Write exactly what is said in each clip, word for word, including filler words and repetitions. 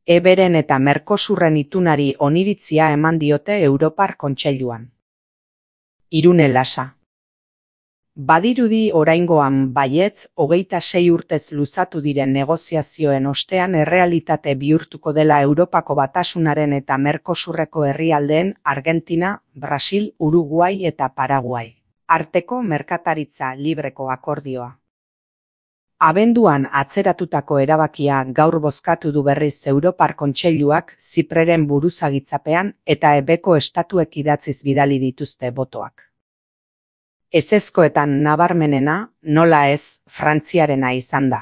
Eberen eta Merkosurren itunari oniritzia eman diote Europar Kontseiluan. Irune Lasa. Badirudi oraingoan baietz, hogeita sei urtez luzatu diren negoziazioen ostean errealitate bihurtuko dela Europako Batasunaren eta Merkosurreko herrialdeen Argentina, Brasil, Uruguai eta Paraguai arteko merkataritza libreko akordioa. Abenduan atzeratutako erabakia gaur bozkatu du berriz Europar Kontseiluak Zipreren buruzagitzapean eta ebeko estatuek idatziz bidali dituzte botoak. Ezezkoetan nabarmenena, nola ez, Frantziarena izan da.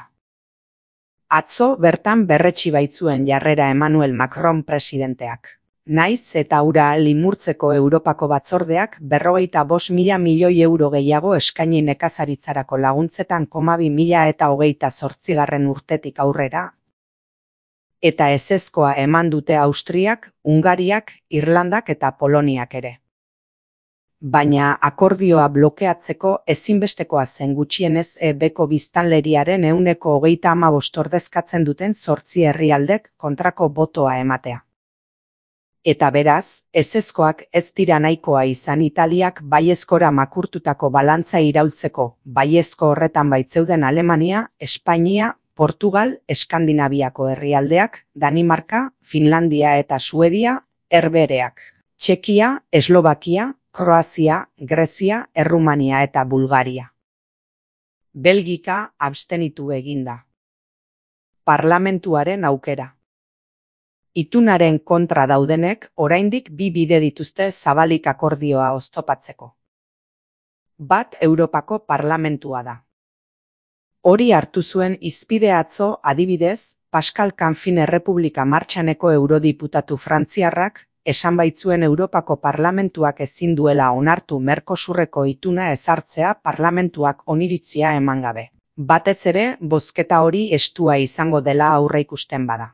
Atzo bertan berretsi baitzuen jarrera Emmanuel Macron presidenteak. Naiz eta hura limurtzeko Europako batzordeak berrogeita bost mila milioi euro gehiago eskaini nekazaritzarako laguntzetan koma bi mila eta hogeita zortzigarren urtetik aurrera. Eta ezezkoa eman dute Austriak, Hungariak, Irlandak eta Poloniak ere. Baina akordioa blokeatzeko ezinbestekoa zen gutxienez ebeko biztanleriaren ehuneko hogeita hamabost ordezkatzen duten zortzi herrialdek kontrako botoa ematea. Eta beraz, ezezkoak ez dira nahikoa izan Italiak baiezkora makurtutako balantza iraultzeko, baiezko horretan baitzeuden Alemania, Espainia, Portugal, Eskandinaviako herrialdeak, Danimarka, Finlandia eta Suedia, herbereak, Txekia, Eslovakia, Kroazia, Grezia, Errumania eta Bulgaria. Belgika abstenitu eginda. Parlamentuaren aukera. Itunaren kontra daudenek oraindik bi bide dituzte zabalik akordioa oztopatzeko. Bat Europako Parlamentua da. Hori hartu zuen hizpide atzo adibidez, Pascal Canfin Errepublika Martxaneko eurodiputatu frantziarrak, esan baitzuen Europako Parlamentuak ezin duela onartu Merkosurreko ituna ezartzea parlamentuak oniritzia eman gabe. Batez ere, bozketa hori estua izango dela aurreikusten bada.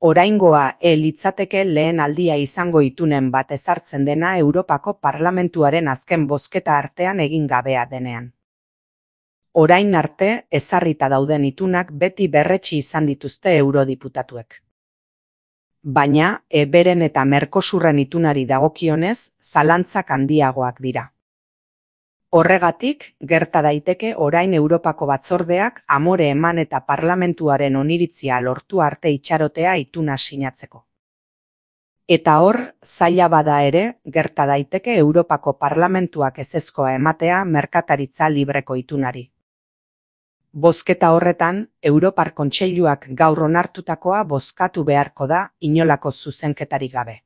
Oraingoa e litzateke lehen aldia izango itunen bat ezartzen dena Europako Parlamentuaren azken bozketa artean egin gabea denean. Orain arte, ezarrita dauden itunak beti berretsi izan dituzte eurodiputatuek. Baina, eberen eta Merkosurren itunari dagokionez, zalantzak handiagoak dira. Horregatik, gerta daiteke orain Europako batzordeak amore eman eta parlamentuaren oniritzia lortu arte itxarotea ituna sinatzeko. Eta hor, zaila bada ere, gerta daiteke Europako parlamentuak ezezkoa ematea merkataritza libreko itunari. Bozketa horretan, Europar Kontseiluak gaur onartutakoa bozkatu beharko da inolako zuzenketarik gabe.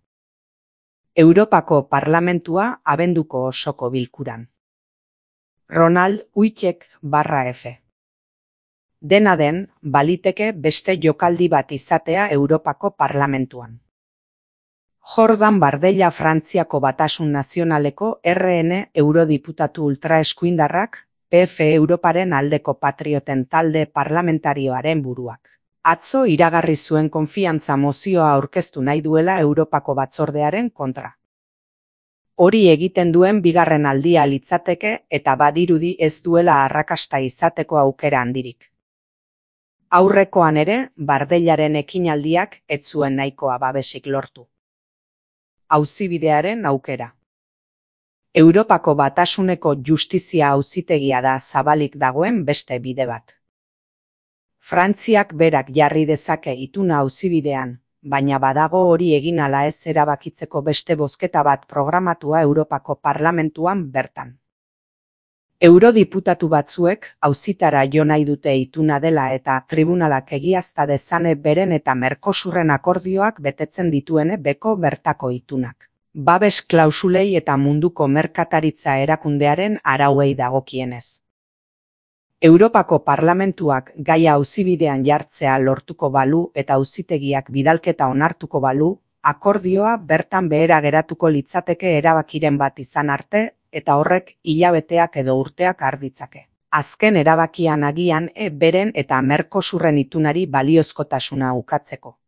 Europako Parlamentua abenduko osoko bilkuran. Ronald Uitek barra F. Dena den, baliteke beste jokaldi bat izatea Europako Parlamentuan. Jordan Bardella Frantziako Batasun Nazionaleko R N eurodiputatu ultraeskuindarrak, P F Europaren aldeko patrioten talde parlamentarioaren buruak. Atzo iragarri zuen konfiantza mozioa aurkeztu nahi duela Europako batzordearen kontra. Hori egiten duen bigarren aldia litzateke eta badirudi ez duela arrakasta izateko aukera handirik. Aurrekoan ere, Bardellaren ekinaldiak ez zuen nahikoa babesik lortu. Auzibidearen aukera. Europako Batasuneko justizia auzitegia da zabalik dagoen beste bide bat. Frantziak berak jarri dezake ituna auzibidean, baina badago hori egin ala ez erabakitzeko beste bozketa bat programatua Europako Parlamentuan bertan. Eurodiputatu batzuek auzitara jo nahi dute ituna dela eta tribunalak egiazta dezane beren eta Merkosurren akordioak betetzen dituene beko bertako itunak. Babes klausulei eta munduko merkataritza erakundearen arauei dagokienez. Europako Parlamentuak gaia auzibidean jartzea lortuko balu eta auzitegiak bidalketa onartuko balu, akordioa bertan behera geratuko litzateke erabakiren bat izan arte eta horrek hilabeteak edo urteak har ditzake. Azken erabakian agian e beren eta Merkosurren itunari baliozkotasuna ukatzeko.